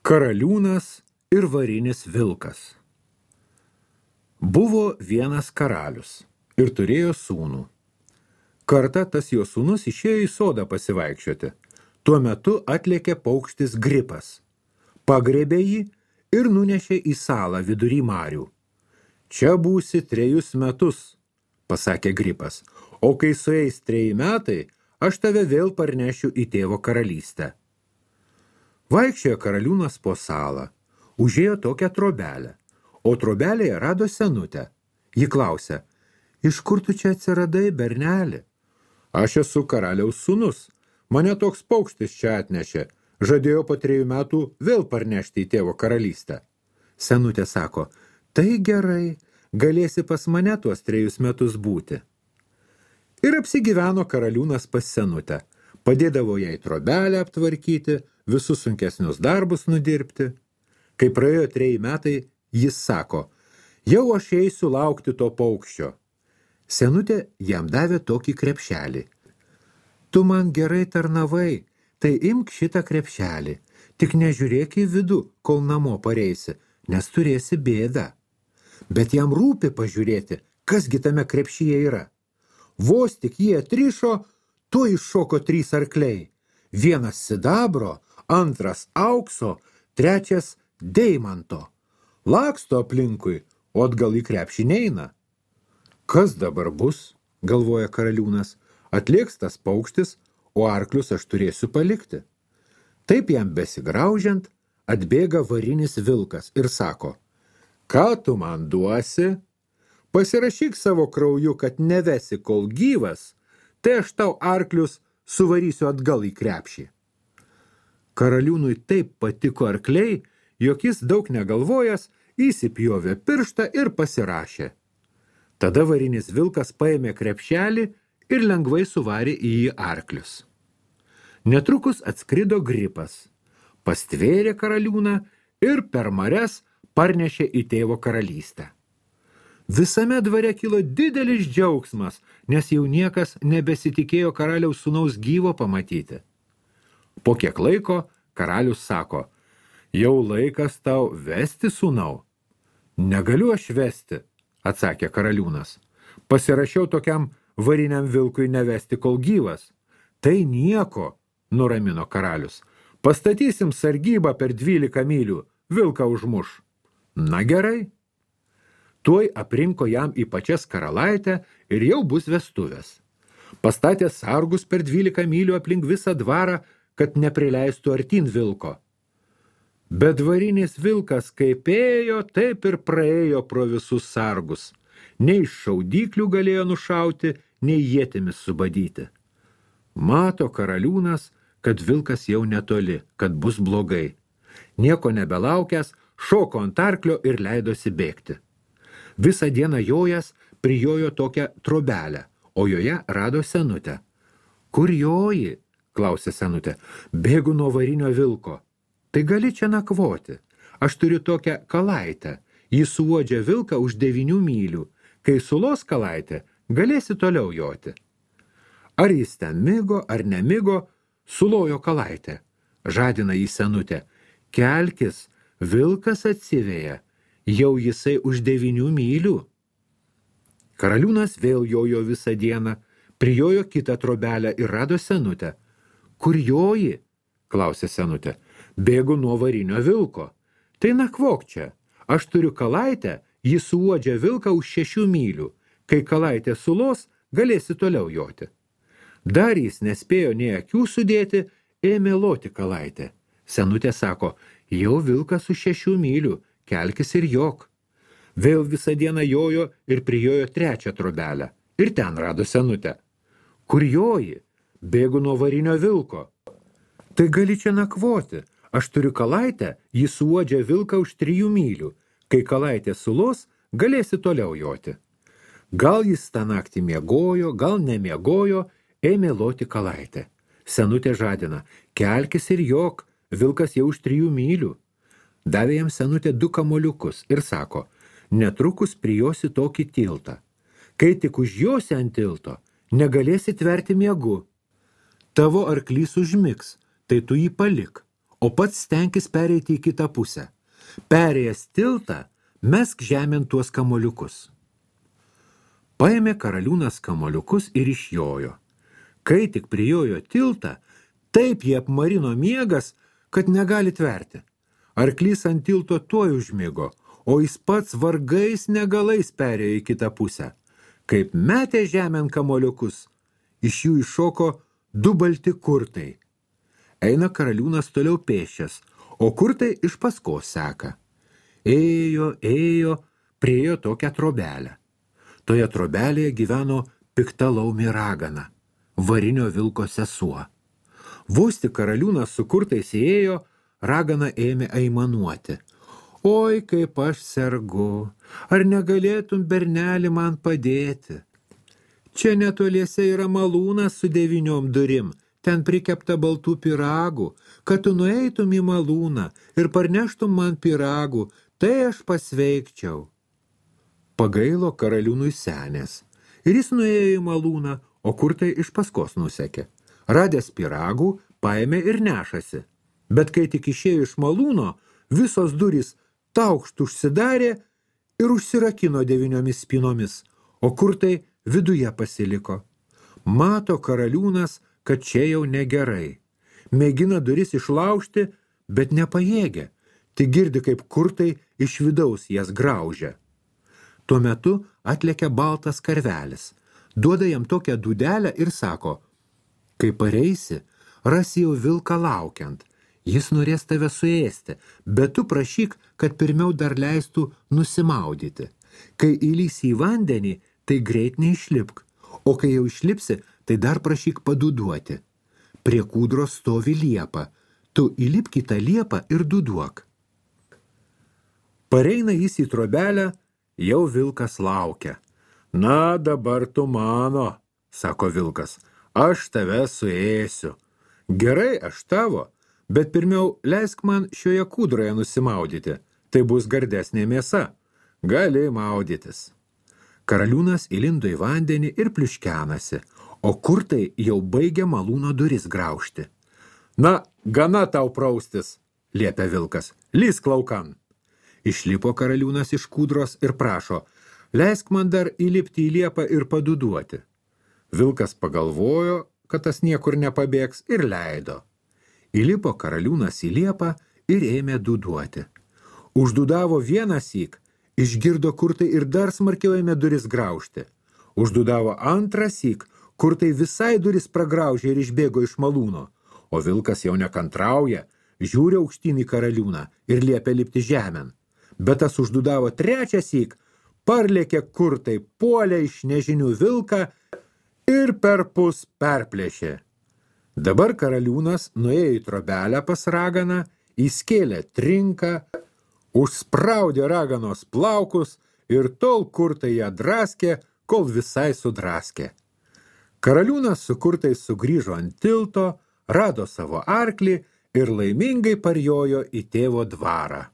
Karaliūnas ir varinis vilkas. Buvo vienas karalius ir turėjo sūnų. Kartą tas jo sūnus išėjo į sodą pasivaikščioti. Tuo metu atlėkė paukštis gripas. Pagriebė jį ir nunešė į salą vidury marių. Čia būsi 3 metus, pasakė gripas, o kai sueis 3 metai, aš tave vėl parnešiu į tėvo karalystę. Vaikščiojo karaliūnas po salą, užėjo tokią trobelę, o trobelėje rado senutę. Ji klausė, iš kur tu čia atsiradai, berneli? Aš esu karaliaus sūnus, mane toks paukštis čia atnešė, žadėjo po 3 metų vėl parnešti į tėvo karalystę. Senutė sako, tai gerai, galėsi pas mane tuos 3 metus būti. Ir apsigyveno karaliūnas pas senutę, padėdavo jai trobelę aptvarkyti, visus sunkesnius darbus nudirbti. Kai praėjo 3 metai, jis sako, jau aš eisiu laukti to paukščio. Senutė jam davė tokį krepšelį. Tu man gerai tarnavai, tai imk šitą krepšelį, tik nežiūrėk į vidų, kol namo pareisi, nes turėsi bėdą. Bet jam rūpi pažiūrėti, kasgi tame krepšyje yra. Vos tik jie atrišo, tuoj iššoko 3 arkliai. Vienas sidabro, antras aukso, trečias deimanto. Laksto aplinkui, o atgal į krepšį neina. Kas dabar bus, galvoja karaliūnas, atlėks tas paukštis, o arklius aš turėsiu palikti. Taip jam besigraužiant, atbėga varinis vilkas ir sako, ką tu man duosi? Pasirašyk savo krauju, kad nevesi kol gyvas, tai aš tau arklius suvarysiu atgal į krepšį. Karaliūnui taip patiko arkliai, jog jis daug negalvojęs, įsipjovė pirštą ir pasirašė. Tada varinis vilkas paėmė krepšelį ir lengvai suvarė į jį arklius. Netrukus atskrido gripas, pastvėrė karaliūną ir per marias parnešė į tėvo karalystę. Visame dvare kilo didelis džiaugsmas, nes jau niekas nebesitikėjo karaliaus sūnaus gyvo pamatyti. Po kiek laiko karalius sako, jau laikas tau vesti sūnau. Negaliu aš vesti, atsakė karaliūnas. Pasirašiau tokiam variniam vilkui nevesti kol gyvas. Tai nieko, nuramino karalius. Pastatysim sargybą per 12 mylių, vilką užmuš. Na gerai. Tuoj aprinko jam į pačias karalaitę ir jau bus vestuvės. Pastatė sargus per 12 mylių aplink visą dvarą, kad neprileistų artin vilko. Bet varinis vilkas kaip ėjo, taip ir praėjo pro visus sargus. Nei šaudyklių galėjo nušauti, nei ietimis subadyti. Mato karaliūnas, kad vilkas jau netoli, kad bus blogai. Nieko nebelaukęs, šoko ant arklio ir leidosi bėgti. Visą dieną jojas prijojo tokią trobelę, o joje rado senutę. Kur joji? Klausė senutė. Bėgu nuo varinio vilko. Tai gali čia nakvoti. Aš turiu tokią kalaitę. Jis suuodžia vilką už 9 mylių. Kai sulos kalaitė, galėsi toliau joti. Ar jis ten migo, ar nemigo, sulojo kalaitę. Žadina jį senutė. Kelkis, vilkas atsiveja. Jau jisai už 9 mylių. Karaliūnas vėl jojo visą dieną, prijojo kitą trobelę ir rado senutę. Kur joji? Klausė senutė. Bėgu nuo varinio vilko. Tai nakvok čia. Aš turiu kalaitę, jis suuodžia vilką už 6 mylių. Kai kalaitė sulos, galėsi toliau joti. Dar jis nespėjo nei akių sudėti, ėmė loti kalaitę. Senutė sako, jau vilkas už 6 mylių. Kelkis ir jok. Vėl visą dieną jojo ir prijojo 3 trobelę. Ir ten rado senutę. Kur joji? Bėgu nuo varinio vilko. Tai gali čia nakvoti. Aš turiu kalaitę, jis suuodžia vilką už 3 mylių. Kai kalaitė sulos, galėsi toliau joti. Gal jis tą naktį miegojo, gal nemiegojo, ėmė loti kalaitę. Senutė žadina, kelkis ir jok, vilkas jau už 3 mylių. Davė jam senutė 2 kamoliukus ir sako, netrukus prijosi tokį tiltą. Kai tik užjosi ant tilto, negalėsi tverti miegu. Tavo arklys užmigs, tai tu jį palik, o pats stenkis pereiti į kitą pusę. Perėjęs tiltą, mesk žemėn tuos kamoliukus. Paėmė karaliūnas kamoliukus ir išjojo. Kai tik prijojo tiltą, taip jį apmarino miegas, kad negali tverti. Arklys ant tilto tuoj užmigo, o jis pats vargais negalais perėjo į kitą pusę. Kaip metė žemėn kamoliukus, iš jų iššoko 2 balti kurtai. Eina karaliūnas toliau pėsčias, o kurtai iš paskos seka. Ėjo, priėjo tokią trobelę. Toje trobelėje gyveno pikta laumė ragana, varinio vilko sesuo. Vos tik karaliūnas su kurtais įėjo, ragana ėmė aimanuoti. Oi, kaip aš sergu, ar negalėtum, berneli, man padėti? Čia netoliese yra malūnas su 9 durim, ten prikepta baltų pyragų, kad tu nueitum į malūną ir parneštum man pyragų, tai aš pasveikčiau. Pagailo karaliūnui senės, ir jis nuėjo į malūną, o kurtai iš paskos nusekė. Radęs pyragų, paėmė ir nešasi. Bet kai tik išėjo iš malūno, visos durys taukšt užsidarė ir užsirakino 9 spynomis, o kurtai viduje pasiliko. Mato karaliūnas, kad čia jau negerai. Mėgina duris išlaužti, bet nepajėgia. Tik girdi, kaip kurtai iš vidaus jas graužia. Tuo metu atlekia baltas karvelis. Duoda jam tokią dūdelę ir sako, kai pareisi, rasi jau vilką laukiant. Jis norės tave suėsti, bet tu prašyk, kad pirmiau dar leistų nusimaudyti. Kai įlysi į vandenį, tai greit neišlipk, o kai jau išlipsi, tai dar prašyk padūduoti. Prie kūdros stovi liepa, tu įlipk į tą liepą ir dūduok. Pareina jis į trobelę, jau vilkas laukia. Na, dabar tu mano, sako vilkas, aš tave suėsiu. Gerai, aš tavo, bet pirmiau leisk man šioje kūdroje nusimaudyti, tai bus gardesnė mėsa. Gali maudytis. Karaliūnas įlindo į vandenį ir pliuškenasi, o kurtai jau baigia malūno duris graužti. Na, gana tau praustis, liepia vilkas, lysk laukan. Išlipo karaliūnas iš kūdros ir prašo, leisk man dar įlipti į liepą ir padūduoti. Vilkas pagalvojo, kad tas niekur nepabėgs ir leido. Įlipo karaliūnas į liepą ir ėmė dūduoti. Uždūdavo vienąsyk, išgirdo kurtai ir dar smarkiau ėmė duris graužti. Uždūdavo antrąsyk, kurtai visai duris pragraužė ir išbėgo iš malūno, o vilkas jau nekantrauja, žiūri aukštyn į karaliūną ir liepia lipti žemėn. Bet tas uždūdavo trečiąsyk, parlėkė kurtai, puolė iš nežinių vilką ir perpus perplėšė. Dabar karaliūnas nuėjo į trobelę pas raganą, įskėlė trinką, užspraudė raganos plaukus ir tol kurtai ją draskė, kol visai sudraskė. Karaliūnas su kurtais sugrįžo ant tilto, rado savo arklį ir laimingai parjojo į tėvo dvarą.